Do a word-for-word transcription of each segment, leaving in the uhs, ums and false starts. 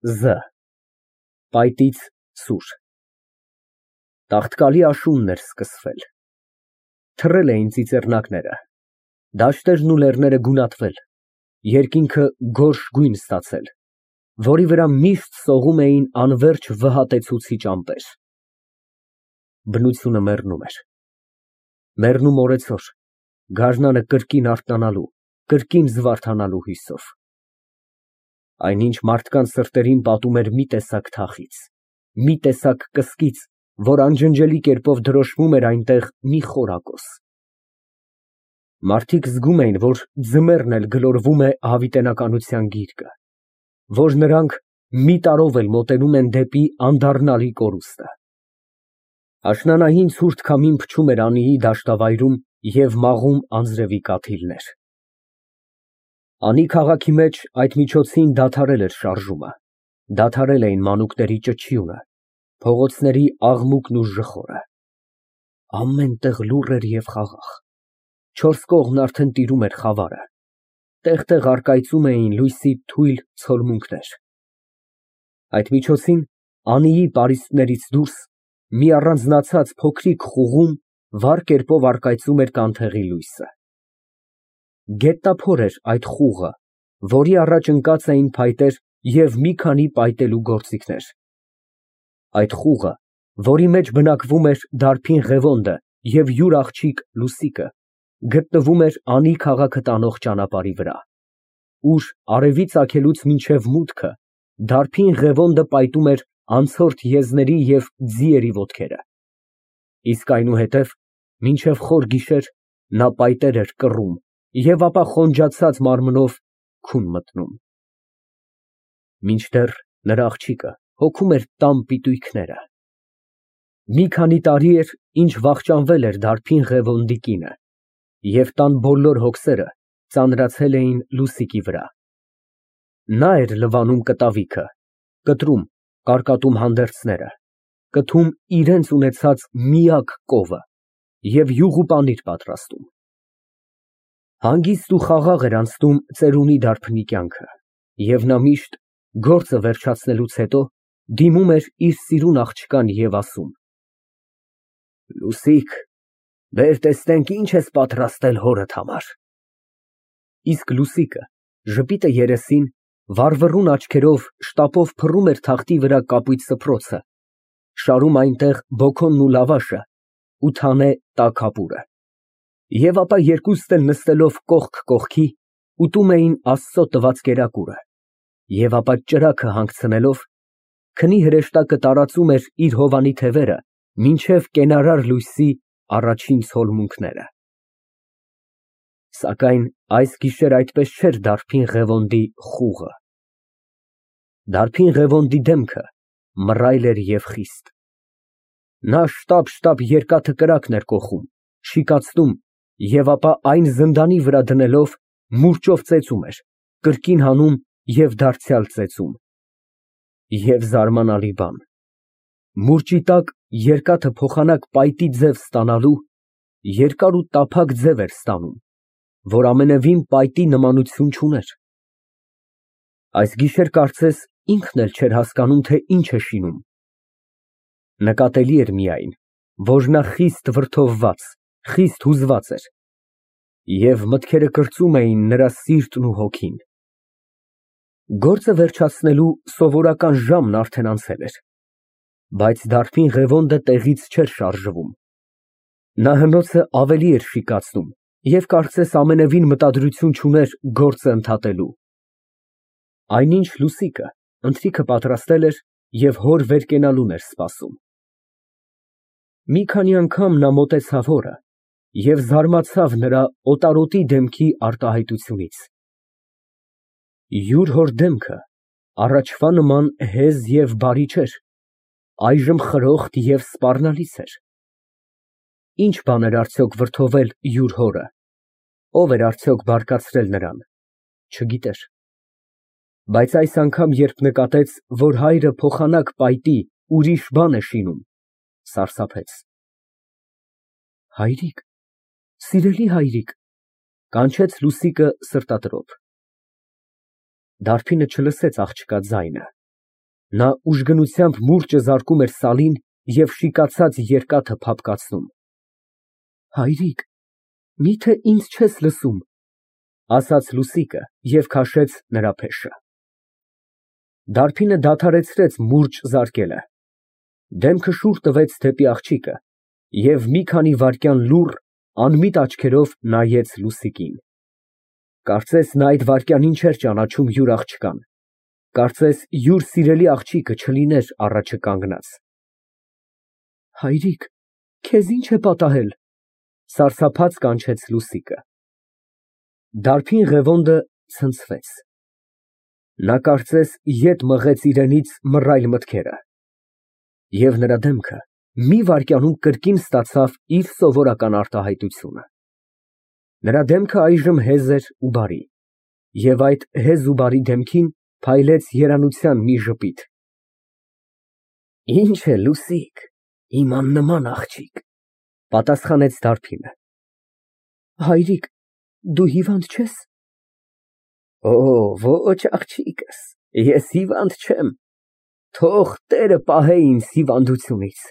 Զ Պայտից սուր Տաղտկալի աշունն էր սկսվել, թռել էին ծիծեռնակները, դաշտերն ու լեռները գունատվել, երկինքը գորշ գույն ստացել, որի վրա միշտ սողում էին անվերջ վհատեցուցիչ ամպեր։ Բնությունը մեռնում էր, մեռնում օրեցօր, գարնանը կրկին արթնանալու, կրկին զվարթանալու հույսով։ Այնինչ մարդկանց սրտերին պատում էր մի տեսակ թախիծ, մի տեսակ կսկիծ, որ անջնջելի կերպով դրոշմում էր այնտեղ մի խորակոս։ Մարդիկ զգում էին, որ ձմեռն էլ գլորվում է հավիտենականության գիրկը, որ նրանք մի տարով էլ մոտենում են դեպի անդառնալի կորուստը։ Աշնանային ցուրտ քամին փչում էր անիի դաշտավայրում և մաղում անձրևի կաթիլներ։ Անի քաղաքի մեջ այդ միջոցին դադարել էր շարժումը, դադարել էին մանուկների ճչյունը, փողոցների աղմուկն ու ժխորը։ Ամեն տեղ լուռ էր և խաղաղ, չորս կողմն արդեն տիրում էր խավարը, տեղ֊տեղ առկայծում էին լույսի թույլ ցոլմունքներ։ Այդ միջոցին Անիի պարիսպներից դուրս մի առանձնացած փոքրիկ խուղում վառ կերպով առկայծում էր կանթեղի լույսը։ Գետնափոր էր այդ խուղը, որի առաջ ընկած էին փայտեր և մի քանի պայտելու գործիքներ։ Այդ խուղը, որի մեջ բնակվում էր դարբին Ղևոնդը և յուր աղջիկ Լուսիկը, գտնվում էր Անի քաղաքը տանող ճանապարհի վրա, ուր արևի ծագելուց մինչև մուտքը դարբին Ղևոնդը պայտում էր անցորդ եզների և ձիերի ոտքերը, իսկ այնուհետև մինչև խոր գիշեր նա պայտեր էր կռում և ապա խոնջացած մարմնով քուն մտնում։ Մինչդեռ նրա աղջիկը հոգում էր տան պիտույքները։ Մի քանի տարի էր, ինչ վախճանվել էր դարբին Ղևոնդի կինը, և տան բոլոր հոգսերը ծանրացել էին Լուսիկի վրա։ Նա էր լվանում կտավիքը, կտրում, կարկատում հանդերձները, կթում իրենց ունեցած միակ կովը և յուղ ու պանիր պատրաստում։ Հանգիստ ու խաղաղ էր անցնում ծերունի դարբնի կյանքը, և նա միշտ, գործը վերջացնելուց հետո, դիմում էր իր սիրուն աղջկան և ասում. Լուսիկ, բեր տեսնենք, ինչ ես պատրաստել հորդ համար։ Իսկ Լուսիկը, ժպիտը երեսին, վառվռուն աչքերով շտապով փռում էր թղթի վրա կապույտ սփռոցը, շարում այնտեղ բոքոնն ու լավաշը ու թանե տաք հապուրը, և ապա երկուստ էլ նստելով կողք կողքի, ուտում էին Աստծո տված կերակուրը, և ապա ճրագը հանգցնելով, քնի հրեշտակը տարածում էր իր հովանի թևերը մինչև կենարար լույսի առաջին ցոլմունքները։ Սակայն այս գիշեր այդպես չէր դարբին Ղևոնդի խուղը։ Դարբին Ղևոնդի դեմքը մռայլ էր և խիստ։ Նա շտապ֊շտապ երկաթը կրակն էր կոխում, շիկացնում և ապա այն զնդանի վրա դնելով մուրճով ծեծում էր, կրկին հանում և դարձյալ ծեծում։ Եվ զարմանալի բան, մուրճի տակ երկաթը փոխանակ պայտի ձև ստանալու, երկար ու տափակ ձև էր ստանում, որ ամենևին պայտի նմանություն չուներ։ Այս գիշեր կարծես ինքն էլ չէր հասկանում, թե ինչ է շինում։ Նկատելի էր միայն, որ նա խիստ վրդովված, խիստ հուզված էր, և մտքերը կրծում էին նրա սիրտն ու հոգին։ Գործը վերջացնելու սովորական ժամն արդեն անցել էր, բայց դարբին Ղևոնդը տեղից չէր շարժվում։ Նա հնոցը ավելի էր շիկացնում և կարծես ամենևին մտադրություն չուներ գործը ընդհատելու։ Այնինչ Լուսիկը ընթրիքը պատրաստել էր և հոր վեր կենալուն էր սպասում։ Մի քանի անգամ նա մոտեցավ հորը և զարմացավ նրա օտարոտի դեմքի արտահայտությունից։ Յուր հոր դեմքը առաջվա նման հեզ և բարի չէր, այժմ խրոխտ և սպառնալից էր։ Ինչ բան էր արդյոք վրդովել յուր հորը, ով էր արդյոք բարկացրել նրան, չգիտեր։ Բայց այս անգամ, երբ նկատեց, որ հայրը փոխանակ պայտի ուրիշ բան է շինում, սարսափեց։ Հայրիկ, սիրելի հայրիկ, կանչեց Լուսիկը սրտատրոփ։ Դարբինը չլսեց աղջկա ձայնը, Նա ուժգնությամբ մուրճը զարկում էր սալին և շիկացած երկաթը փափկացնում։ Հայրիկ, մի՞թե ինձ չես լսում, ասաց Լուսիկը և քաշեց նրա փեշը։ Դարբինը դադարեցրեց մուրճ զարկելը, դեմքը շուռ տվեց դեպի աղջիկը և մի քանի վայրկյան լուռ, անմիտ աչքերով նայեց Լուսիկին։ Կարծես նա այդ վայրկյանին չէր ճանաչում յուր աղջկան, կարծես յուր սիրելի աղջիկը չլիներ առաջը կանգնած։ Հայրիկ, քեզ ի՞նչ է պատահել, սարսափած կանչեց Լուսիկը։ Դարբին Ղևոնդը ցնցվեց։ Նա կարծես ետ մղեց իրենից մռայլ մտքերը, և նրա դեմքը մի վայրկյանում կրկին ստացավ իր սովորական արտահայտությունը։ Նրա դեմքը այժմ հեզ էր ու բարի, և այդ հեզ ու բարի դեմքին փայլեց երանության մի ժպիտ։ Ինչ է, Լուսիկ, իմ աննման աղջիկ, պատասխանեց դարբինը։ Հայրիկ, դու հիվանդ չե՞ս։ Օ, ոչ աղջիկս, ես հիվանդ չեմ, թող Տերը պահե ինձ հիվանդությունից։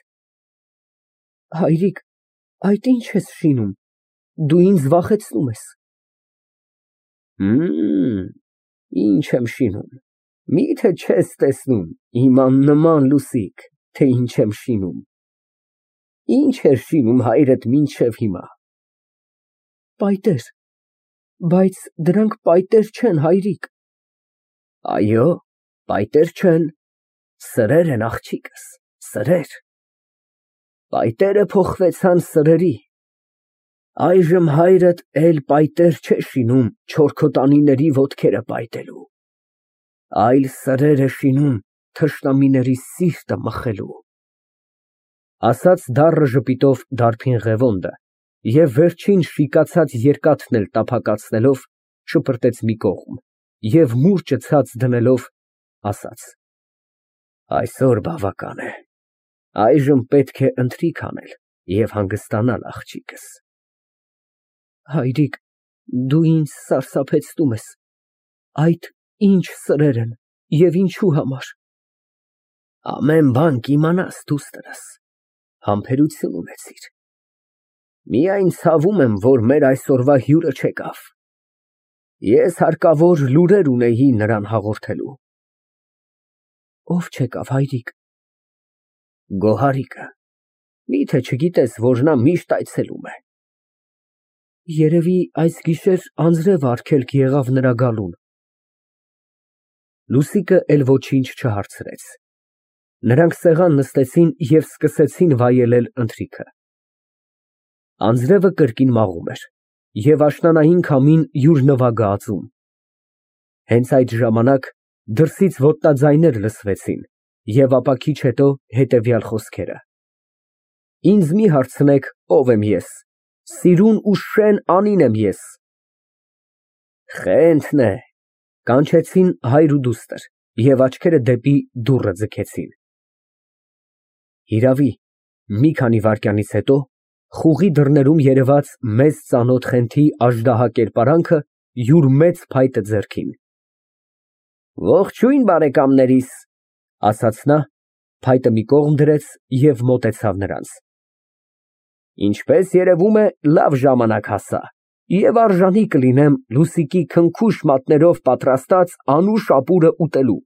Հայրիկ, այդ ի՞նչ ես շինում, դու ինձ վախեցնում ես։ Հըմ, ինչ եմ շինում, մի՞թե չես տեսնում, իմ աննման Լուսիկ, թե ինչ եմ շինում։ Ինչ էր շինում հայրդ մինչև հիմա։ Պայտեր, բայց դրանք պայտեր չեն, հայրիկ։ Այո, պայտեր չեն, սրեր են, աղջիկս, սրեր։ Պայտերը փոխվեցան սրերի։ Այժմ հայրդ էլ պայտեր չէ շինում չորքոտանիների ոտքերը պայտելու, այլ սրեր է շինում թշնամիների սիրտը մխելու, ասաց դառը ժպիտով դարբին Ղևոնդը և վերջին շիկացած երկաթն էլ տափակացնելով շպրտեց մի կողմ և մուրճը ցած դնելով ասաց. Այսօր բավական է, այժմ պետք է ընթրիք անել և հանգստանալ, աղջիկս։ Հայրիկ, դու ինձ սարսափեցնում ես, այդ ինչ սրեր են և ինչու համար։ Ամեն բան կիմանաս, դուստրս, համբերություն ունեցիր։ Միայն ցավում եմ, որ մեր այսօրվա հյուրը չեկավ։ Ես հարկավոր լուրեր ունեի նրան հաղորդելու։ Ո՞վ չեկավ, հայրիկ։ Գոհարիկը, մի՞թե չգիտես, որ նա միշտ այցելում է։ Երևի այս գիշեր անձրև արգելք եղավ նրա գալուն։ Լուսիկը էլ ոչինչ չհարցրեց։ Նրանք սեղան նստեցին և սկսեցին վայելել ընթրիքը։ Անձրևը կրկին մաղում էր, և աշնանային քամին յուր նվագը ածում։ Հենց այդ ժամանակ դրսից ոտնաձայներ լսվեցին և ապա քիչ հետո հետևյալ խոսքերը. Ինձ մի հարցնեք, ով եմ ես, սիրուն ու շեն անին եմ ես։ Խենթն է, կանչեցին հայր ու դուստր և աչքերը դեպի դուռը ձգեցին։ Հիրավի, մի քանի վայրկյանից հետո խուղի դռներում երևաց մեզ ծանոթ Խենթի աժդահա կերպարանքը յուր մեծ փայտը ձեռքին։ Ողջույն, բարեկամներիս, ասաց նա, փայտը մի կողմ դրեց և մոտեցավ նրանց։ Ինչպես երևում է, լավ ժամանակ հասա և արժանի կլինեմ Լուսիկի քնքուշ մատներով պատրաստած անուշ ապուրը ուտելու։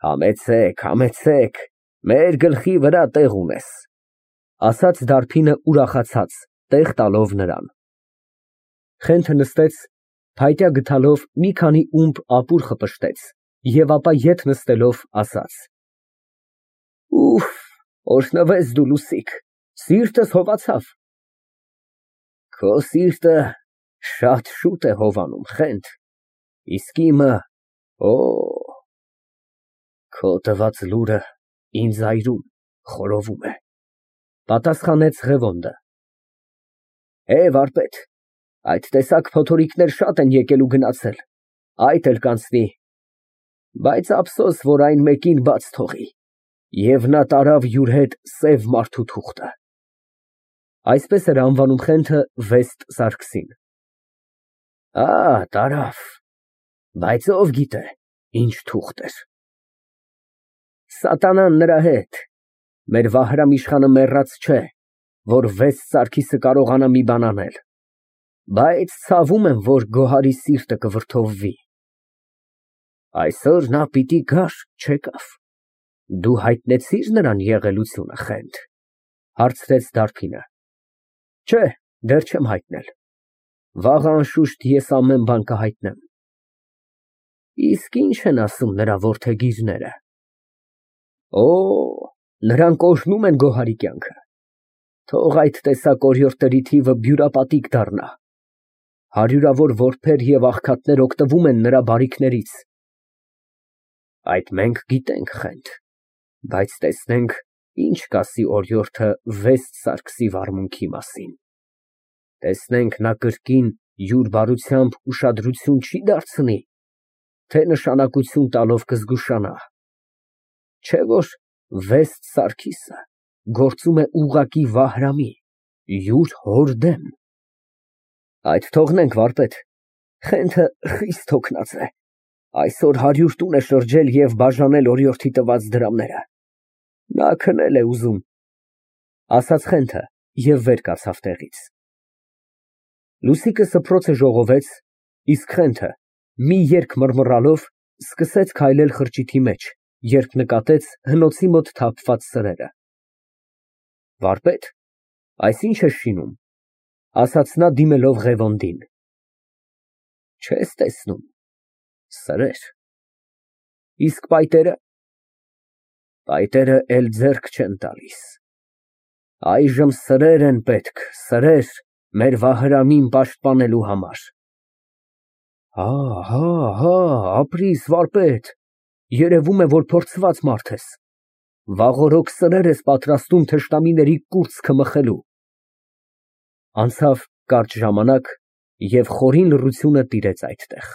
Համեցեք, համեցեք, մեր գլխի վրա տեղ ունես, ասաց դարբինը ուրախացած, տեղ տալով նրան։ Խենթը նստեց, փայտյա գդալով մի քանի ումպ ապուր խպշտեց և ապա ետ նստելով ասաց. Ուֆ, օրհնվես դու, Լուսիկ, սիրտս հովացավ։ Քո սիրտը շատ շուտ է հովանում, Խենթ, իսկ իմը, օ, քո տված լուրը ինձ այրում, խորովում է, պատասխանեց Ղևոնդը։ Է, վարպետ, այդ տեսակ փոթորիկներ շատ են եկել ու գնացել, այդ էլ կանցնի, բայց ափսոս, որ այն մեկին բաց թողի, և նա տարավ յուր հետ սև մարդու թուղթը։ Այսպես էր անվանում Խենթը Վեստ Սարգսին։ Ա, տարավ, բայց ով գիտե, ինչ թուղթ էր։ Սատանան նրա հետ։ Մեր Վահրամ իշխանը մեռած չէ, որ վեց Սարգիսը կարողանա մի բան անել, բայց ցավում եմ, որ Գոհարի սիրտը կվրդովվի։ Այսօր նա պիտի գար, չեկավ։ Դու հայտնեցի՞ր նրան եղելությունը, Խենթ, հարցրեց Դարբինը։ Չէ, դեռ չեմ հայտնել։ Վաղը անշուշտ ես ամեն բան կհայտնեմ։ Իսկ ի՞նչ են ասում նրա որդեգիրները։ Օ, նրանք օրհնում են Գոհարի կյանքը։ Թող այդ տեսակ օրիորդների թիվը բյուրապատիկ դառնա։ Հարյուրավոր որբեր և աղքատներ օգտվում են նրա բարիքներից։ Այդ մենք գիտենք, Խենթ, բայց տեսնենք, ինչ կասի օրիորդը Վեստ Սարգսի վարմունքի մասին։ Տեսնենք նա կրկին յուր բարությամբ ուշադրություն չի դարձնի, թե նշանակություն տալով կզգուշանա։ Չէ՞ որ Վեստ Սարգիսը գործում է ուղղակի Վահրամի, յուր հոր դեմ։ Այդ թողնենք, վարպետ, Խենթը խիստ հոգնած է, այսօր հարյուր տուն է շրջել և բաժանել օրիորդի տված դրամները։ Նա քնել է ուզում, ասաց Խենթը և վեր կացավ տեղից։ Լուսիկը սփռոցը ժողովեց, իսկ Խենթը, մի երգ մռմռալով, սկսեց քայլել խրճիթի մեջ, երբ նկատեց հնոցի մոտ թափված սրերը։ Վարպետ, այս ի՞նչ ես շինում, ասաց նա դիմելով Ղևոնդին։ Չես տեսնում, սրեր։ Իսկ պայտերը։ Պայտերը էլ ձեռք չեն տալիս։ Այժմ սրեր են պետք, սրեր, մեր Վահրամին պաշտպանելու համար։ Հա, հա, հա, ապրիր, վարպետ, երևում է, որ փորձված մարդ ես։ Վաղօրոք սրեր ես պատրաստում թշնամիների կուրծքը մխելու։ Անցավ կարճ ժամանակ, և խորին լռությունը տիրեց այդտեղ։